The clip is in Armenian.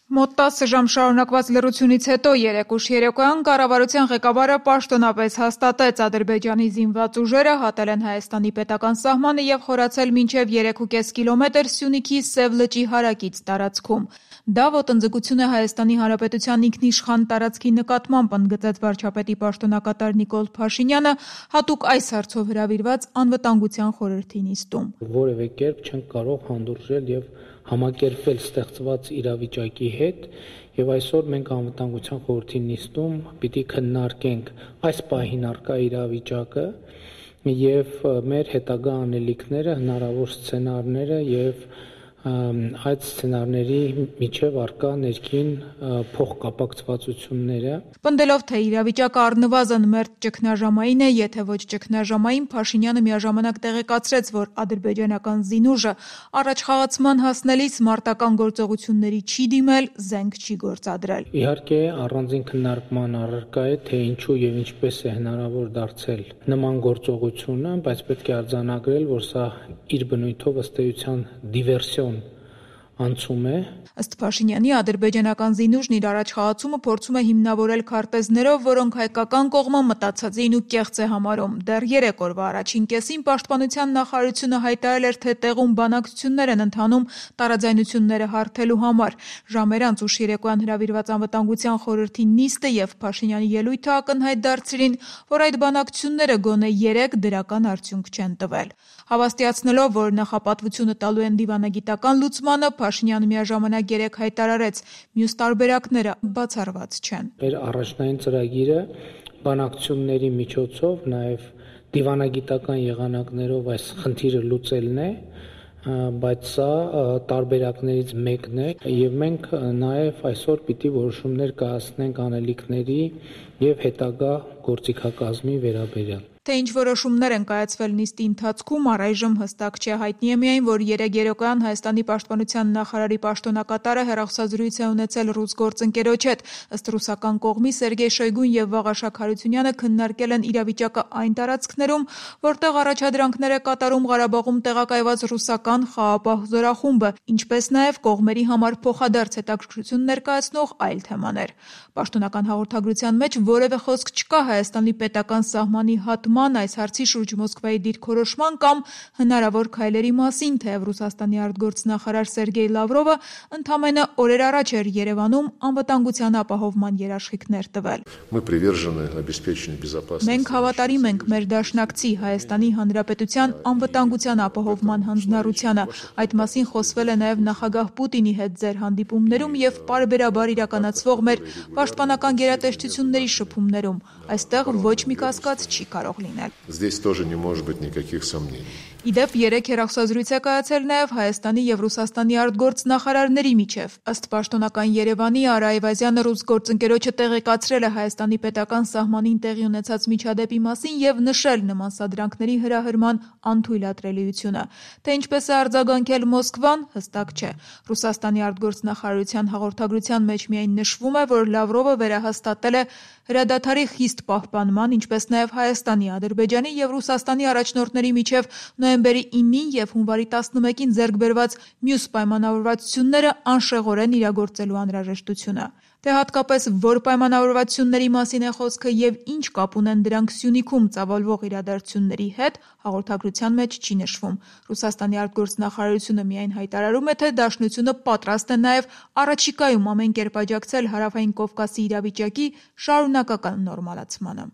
Մոտ 10 ժամ շարունակված լռությունից հետո երեկ ուշ երեկոյան կառավարության ղեկավարը պաշտոնապես հաստատեց՝ Ադրբեջանի զինված ուժերը հատել են Հայաստանի պետական սահմանը և խորացել մինչև 3,5 կիլոմետր Սյունիքի Սև լճի հարակից տարածքում։ Դա ոտնձգություն է Հայաստանի Հանրապետության ինքնիշխան տարածքի նկատմամբ, ընդգծեց վարչապետի պաշտոնակատար Նիկոլ Փաշինյանը հատուկ այս հարցով հրավիրված անվտանգության խորհրդի նիստում։ Որևէ կերպ չենք կարող հանդուրժել և համակերպվել ստեղծված իրավիճակի հետ, և այսօր մենք անվտանգության խորհրդի նիստում պիտի քննարկենք այս պահին առկա իրավիճակը և մեր հետագա անելիքները, հնարավոր սցենարները և այդ սցենարների միջև առկա ներքին փոխկապակցվածությունները։ Պնդելով, թե իրավիճակը առնվազն մերթ ճգնաժամային է, եթե ոչ ճգնաժամային, Փաշինյանը միաժամանակ տեղեկացրեց, որ ադրբեջանական զինուժը առաջխաղացման հասնելիս մարտական գործողությունների չի դիմել, զենք չի գործադրել։ Իհարկե, առանձին քննարկման առարկա է, թե ինչու և ինչպես է հնարավոր դարձել նման գործողությունը, բայց պետք է արձանագրել, որ սա իր բնույթով ըստ էության դիվերսիոն անցում է։ Ըստ Փաշինյանի, ադրբեջանական զինուժն իր առաջխաղացումը փորձում է հիմնավորել քարտեզներով, որոնք հայկական կողմը մտածածին ու կեղծ է համարում։ Դեռ 3 օրվա առաջին կեսին Պաշտպանության նախարարությունը հայտարարել էր, թե տեղում բանակցություններ են ընթանում տարաձայնությունները հարթելու համար։ Ժամեր անց ուշ երեկոյան հրավիրված անվտանգության խորհրդի նիստը և Փաշինյանի ելույթը ակնհայտ դարձրին, որ այդ բանակցությունները գոնե 3 դրական արդյունք չեն տվել։ Հավաստիացնելով, որ նախապատվությունը տալու են դիվանագիտական լուծմանը, Փաշինյանը միաժամանակ երեկ հայտարարեց՝ մյուս տարբերակները բացառված չեն։ Մեր առաջնային ծրագիրը բանակցությունների միջոցով, նաև դիվանագիտական եղանակներով այս խնդիրը լուծելն է, բայց սա տարբերակներից մեկն է և մենք նաև այսօր պիտի որոշումներ կայացնենք անելիքների և հետագա գործիքակազմի վերաբերյալ։ Թե ինչ որոշումներ են կայացվել նիստի ընթացքում, առայժմ հստակ չէ։ Հայտնի է միայն, որ երեկ երեկոյան Հայաստանի պաշտպանության նախարարի պաշտոնակատարը հեռախոսազրույց է ունեցել ռուս գործընկերոջ հետ։ Ըստ ռուսական կողմի Սերգեյ Շոյգուն և Վաղաշակ Հարությունյանը քննարկել են իրավիճակը այն տարածքներում, որտեղ առաջադրանքներ է կատարում Ղարաբաղում տեղակայված ռուսական խաղաղապահ զորախումբը, ինչպես նաև կողմերի համար փոխադարձ հետաքրքրություն ներկայացնող այլ թեմաներ։ Պաշտոնական հաղորդագրության մեջ որևէ խոսք չկա Հայաստանի պետական սահմանի հատման, այս հարցի շուրջ Մոսկվայի դիրքորոշման կամ հնարավոր քայլերի մասին, թեև Ռուսաստանի արտգործնախարար Սերգեյ Լավրովը ընդամենը օրեր առաջ էր Երևանում անվտանգության ապահովման երաշխիքներ տվել։ Մենք հավատարիմ ենք մեր դաշնակցի Հայաստանի Հանրապետության անվտանգության ապահովման հանձնառությանը։ Այդ մասին խոսվել է նաև նախագահ Պուտինի հետ ձեր հանդիպումներում և պարբերաբար իրականացվող մեր պաշտպանական գերատեսչությունների շփումներում։ Այստեղ ոչ մի կասկած չի կարող լինել։ Ի դեպ, երեկ հեռախոսազրույց է կայացել նաև Հայաստանի և Ռուսաստանի արտգործնախարարների միջև։ Ըստ պաշտոնական Երևանի, Արա Այվազյանը ռուս գործընկերոջը տեղեկացրել է Հայաստանի պետական սահմանին տեղի ունեցած միջադեպի մասին և նշել նման սադրանքների հրահրման անթույլատրելիությունը։ Թե ինչպես է արձագանքել Մոսկվան, հստակ չէ։ Ռուսաստանի արտգործնախարարության հաղորդագրության մեջ միայն նշվում է, որ Լավրովը վերահաստատել է հրադադարի խիստ պահպանման, ինչպես նաև Հայաստանի, Ադրբեջանի և Ռուսաստանի առաջնորդների միջև նոյեմբերի 9-ին և հունվարի 11-ին ձեռք բերված մյուս պայմանավորվածությունները անշեղորեն իրագործելու անհրաժեշտությունը։ Թե հատկապես որ պայմանավորվածությունների մասին է խոսքը և ինչ կապ ունեն դրանք Սյունիքում ծավալվող իրադարձությունների հետ, հաղորդագրության մեջ չի նշվում։ Ռուսաստանի արտգործնախարարությունը միայն հայտարարում է, թե Դաշնությունը պատրաստ է նաև առաջիկայում ամեն կերպ աջակցել Հարավային Կովկասի իրավիճակի շարունակական նորմալացմանը։